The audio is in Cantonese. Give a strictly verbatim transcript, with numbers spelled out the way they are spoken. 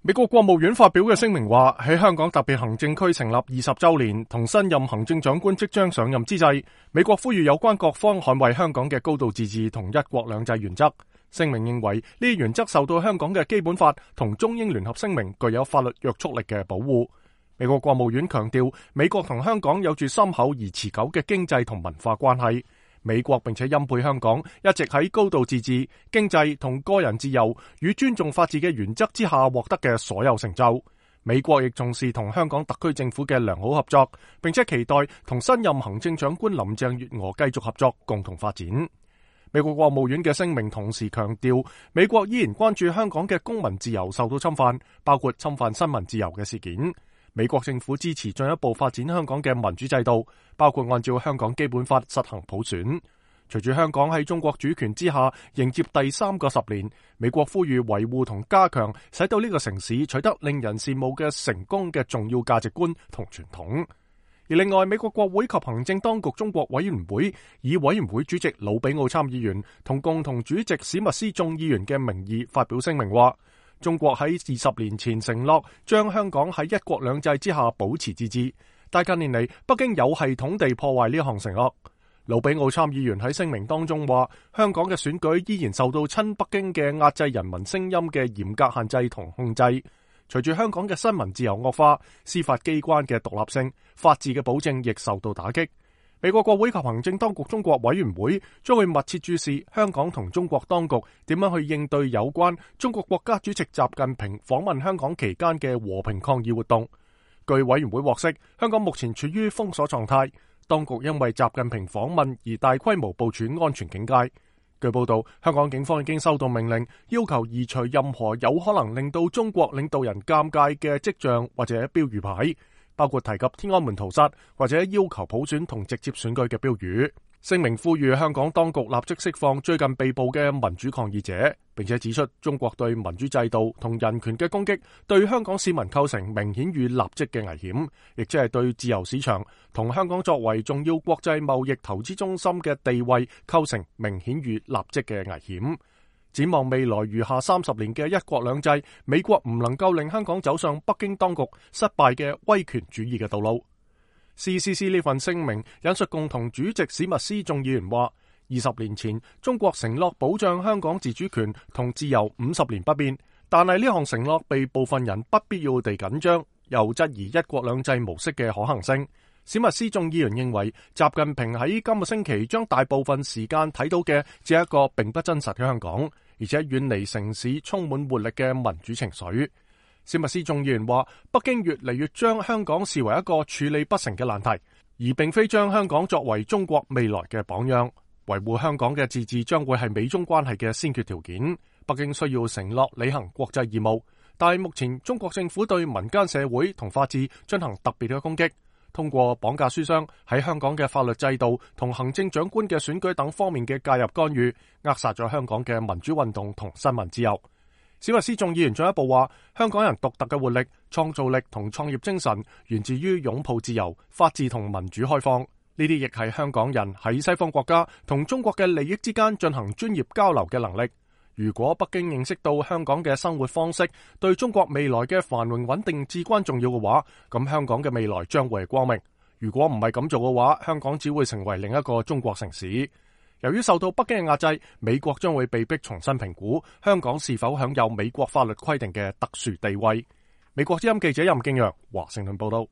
美國國務院發表嘅聲明話，喺香港特別行政區成立二十周年同新任行政長官即將上任之際，美國呼籲有關各方捍衛香港嘅高度自治同一國兩制原則。聲明認為呢啲原則受到香港嘅基本法同中英聯合聲明具有法律約束力嘅保護。美國國務院強調，美國同香港有住深厚而持久嘅經濟同文化關係。美國並且欽佩香港一直喺高度自治、經濟同個人自由與尊重法治嘅原則之下獲得嘅所有成就。美國亦重視同香港特區政府嘅良好合作，並且期待同新任行政長官林鄭月娥繼續合作，共同發展。美國國務院嘅聲明同時強調，美國依然關注香港嘅公民自由受到侵犯，包括侵犯新聞自由嘅事件。美國政府支持進一步發展香港嘅民主制度，包括按照香港基本法實行普選。隨住香港喺中國主權之下迎接第三個十年，美國呼籲維護同加強使到呢個城市取得令人羨慕嘅成功嘅重要價值觀同傳統。而另外，美國國會及行政當局中國委員會以委員會主席魯比奧參議員同共同主席史密斯眾議員嘅名義發表聲明話，中國喺二十年前承諾將香港喺一國兩制之下保持自治，但近年嚟北京有系統地破壞呢項承諾。魯比奧參議員喺聲明當中話，香港嘅選舉依然受到親北京嘅壓制人民聲音嘅嚴格限制同控制。隨住香港嘅新聞自由惡化，司法機關嘅獨立性、法治嘅保證亦受到打擊。美國國會及行政當局中國委員會將會密切注視香港同中國當局點樣去應對有關中國國家主席習近平訪問香港期間嘅和平抗議活動。據委員會獲悉，香港目前處於封鎖狀態，當局因為習近平訪問而大規模部署安全警戒。據報道，香港警方已經收到命令，要求移除任何有可能令到中國領導人尷尬嘅跡象或者標語牌，包括提及天安門屠殺或者要求普選同直接選舉嘅標語。聲明呼籲香港當局立即釋放最近被捕嘅民主抗議者，並且指出中國對民主制度同人權嘅攻擊對香港市民構成明顯與立即嘅危險，亦即係對自由市場同香港作為重要國際貿易投資中心嘅地位構成明顯與立即嘅危險。展望未來餘下三十年嘅一國兩制，美國唔能夠令香港走上北京當局失敗嘅威權主義嘅道路。C C C 呢份聲明引述共同主席史密斯眾議員話，二十年前中國承諾保障香港自主權同自由五十年不變，但係呢項承諾被部分人不必要地緊張，又質疑一國兩制模式嘅可行性。史密斯眾議員認為，習近平喺今個星期將大部分時間睇到嘅只係一個並不真實嘅香港，而且遠離城市充滿活力嘅民主情緒。史密斯眾議員話，北京越嚟越將香港視為一個處理不成嘅難題，而並非將香港作為中國未來嘅榜樣。維護香港嘅自治將會係美中關係嘅先決條件。北京需要承諾履行國際義務，但係目前中國政府對民間社會同法治進行特別嘅攻擊，通過綁架書商喺香港嘅法律制度同行政長官嘅選舉等方面嘅介入干預，扼殺咗香港嘅民主運動同新聞自由。史密斯眾議員進一步話，香港人獨特嘅活力、創造力同創業精神源自於擁抱自由、法治同民主開放，呢啲亦係香港人喺西方國家同中國嘅利益之間進行專業交流嘅能力。如果北京認識到香港嘅生活方式對中國未來嘅繁榮穩定至關重要嘅話，咁香港嘅未來將會係光明。如果唔係咁做嘅話，香港只會成為另一個中國城市。由於受到北京嘅壓制，美國將會被迫重新評估香港是否享有美國法律規定嘅特殊地位。美國之音記者任敬揚華盛頓報道。